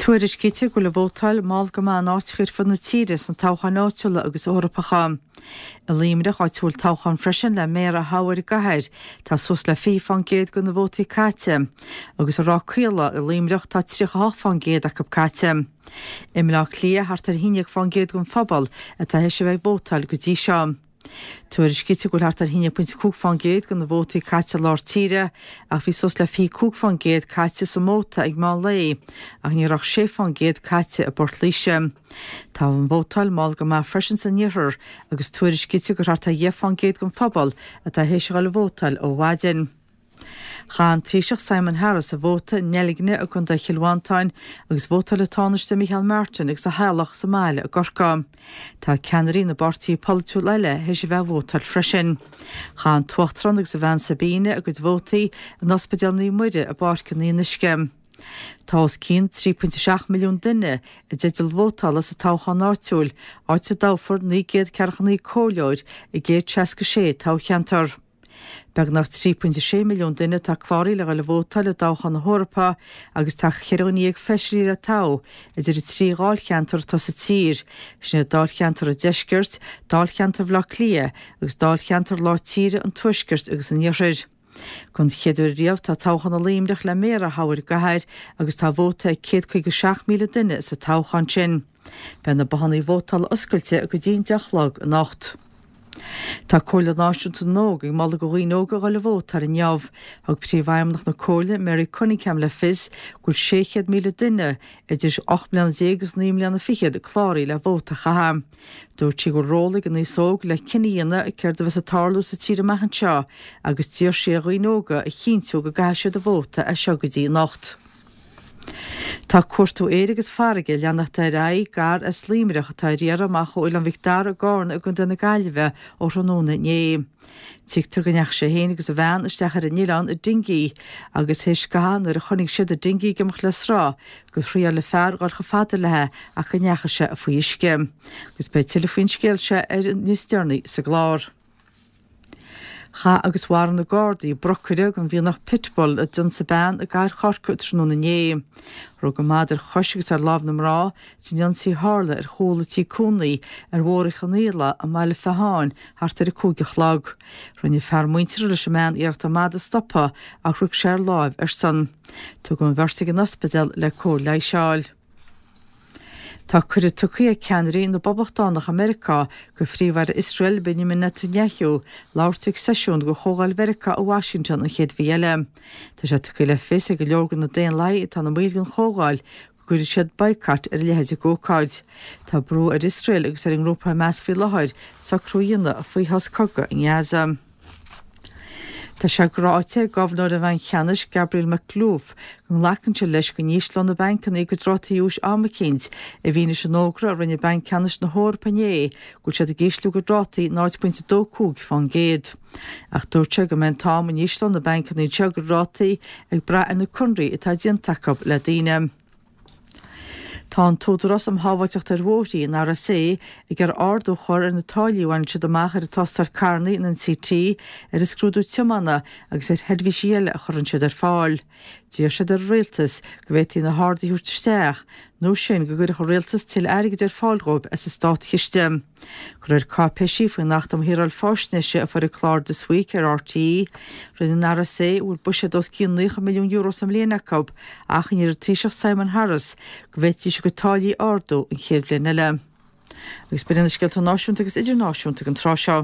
Tuairiscítear go bhfuil an vótáil mall go maith in áiteacha ar fud na tíre sna toghcháin áitiúla agus Eorpacha. I Luimneach, áit a bhfuil toghchán freisin le méara a thoghadh ar an gcathair, tá suas le 20% de na vótaí caite, agus i Ráth Caola i Luimneach tá 38% acu caite. I mBleá Cliath, thart ar 11% den phobal atá théis a bheith ag vótáil go dtí seo. Tuairiscítear go bhfuil thart ar 1.5% de na vótaí caite i lár tíre ach bhí suas le 25% caite sa Móta ag meán lae ach ní raibh ach 6% caite i bPort Laoise. Tá an vótáil mall go maith freisin san iarthar agus tuairiscítear gur thart ar 10% den phobal atá théis a dhul ag vótáil ó mhaidin. Chaith an Taoiseach Simon Harris a vóta i nDeilgne i gContae Chill Mhantáin agus vótáil an Tánaiste Micheál Martin agus a theaghlach sa mbaile i gCorcaigh. Tá ceannairí na bpáirtithe polaitiúil eile théis a bheith ag vótáil freisin. Chaith an tUachtarán agus a bhean Sabina a gcuid vótaí in Ospidéal Naomh Muire i bPáirc an Fhionnuisce. Tá os cionn 3.7 milliún duine i dteideal vótála sa toghchán áitiúil, áit a dtoghfar 949 comhairleoir i gcéad 66 toghcheantar. Beagnach 3.6 milliún duine atá cláraithe le dhul ag vótáil i dtoghchán na hEorpa agus tá cheithre dhuine dhéag feisirí le toghadh idir an trí dháilcheantar atá sa tír, sin iad dáilcheantar an Deiscirt, dáilcheantar Bhaile Átha Cliath agus dáilcheantar lár tíre an Tuaiscirt agus an Iarthair. Don chéad uair riamh tá toghchán i Luimneach le méara a thoghadh ar an gcathair agus tá vóta ag 157,000 duine sa toghchán sin. Beidh na bothannaí vótála oscailte go dtí an 10 a chlog anocht. Tá Comhairle Náisiúnta na nÓg ag moladh do dhaoine óga a dhul ag vótáil inniu. Thug Príomhfheidhmeannach na Comhairle, Mary Cunningham le fios go bhfuil 600,000 duine idir 18 mbliana agus 9 mbliana fichead cláraithe le vóta a chaitheamh. Dúirt sí go bhfuil ról ag an aos óg le cinneadh a dhéanamh céard a bheas ag tarlú sa tír amach anseo agus d'iarr sí ar dhaoine óga a chinntiú go gcaithfidh siad a vóta as seo go dtí anocht. Tá cuartú aeir agus farraige ag leanacht ar aghaidh d'fhear as Luimneach atá ar iarraidh amach ó Oileán Mhic Dara i gCarna i gContae na Gaillimhe ó thráthnóna inné. Tuigtear go ndeachaigh sé féin agus a bhean isteach ar an oileán i dingí agus théis scaitheamh nuair a chonaic siad an dingí ag imeacht le sruth gur thriáil an fear dhul chomh fada léi ach go ndeachaigh sé faoi uisce. Agus beidh tuilleadh faoin scéal seo ar níos deireanaí sa gclár. Chaith agus mharaigh na Gardaí brocaire den mhianach Pitbull a d'ionsaigh bean i gcathair Chorcaí tráthnóna inné. Rug an madra ar chois agus ar lámh na mná san ionsaí a tharla ar chúl a tí cónaí ar Bhóthar Uí Chonaola i mBaile Featháin thart ar 5 a chlog. Rinne fear muinteartha leis an mbean iarracht an madadh a stopadh ach rug sé ar láimh airsean. Tugadh an bheirt ag an ospidéal le cóir leighis a fháil. Tá cuireadh tugtha ag ceannairí na bPoblachtánach i Meiriceá do Phríomh-Aire Iosrael Benjamin Netanyahu labhairt ag seisiún de Chomhdháil Mheiriceá i Washington an chéad mhí eile. Tá sé tugtha le fios ag go leor de na Daonlathaigh atá ina mbaill den Chomhdháil go gcuirfidh siad baghcat ar a leithéid d'ócáid. Tá brú ar Iosrael agus ar an ngrúpa Hamas faoi láthair socrú a dhéanamh faoi shos cogaidh i nGaza. Tá sé ráite ag Gobharnóir an Bhainc Cheannais, Gabriel Makhlouf, go nglacann sé leis go n-ísleoidh na bancanna a gcuid rátaí úis am eicínt, i bhfianaise an fhógra a rinne Banc Ceannais na hEorpa inné go bhfuil siad ag ísliú a gcuid rátaí 0.25%. Ach dúirt sé go mbeidh an t-am a n-ísleoidh na bancanna anseo a gcuid rátaí ag brath ar na conarthaí atá déanta acu le daoine. Tá an tÚdarás um Shábháilteacht ar Bhóithre, an RSA, ag iarraidh ardú a chur ar na táillí a bhaineann siad amach ar an tástáil carranna, an NCT, ar an scrúdú tiomána agus ar sheirbhísí eile a chuireann siad ar fáil. D'iarr siad ar an Rialtas go bhféadfaí na harduithe a thabhairt isteach, nó sin go gcuirfeadh an Rialtas tuilleadh airgid ar fáil dhóibh as an státchiste. De réir cáipéisí faoin Acht um Shaoráil Faisnéise a fuair an clár This Week ar RTÉ, rinne an RSA, a bhfuil buiséad os cionn €90 milliún sa mbliain acu, achainí ar an Taoiseach Simon Harris go bhféadfaidís a gcuid táillí a ardú an chéad bhliain eile. Agus b'in iad na scéalta náisiúnta agus idirnáisiúnta ag an tráth seo.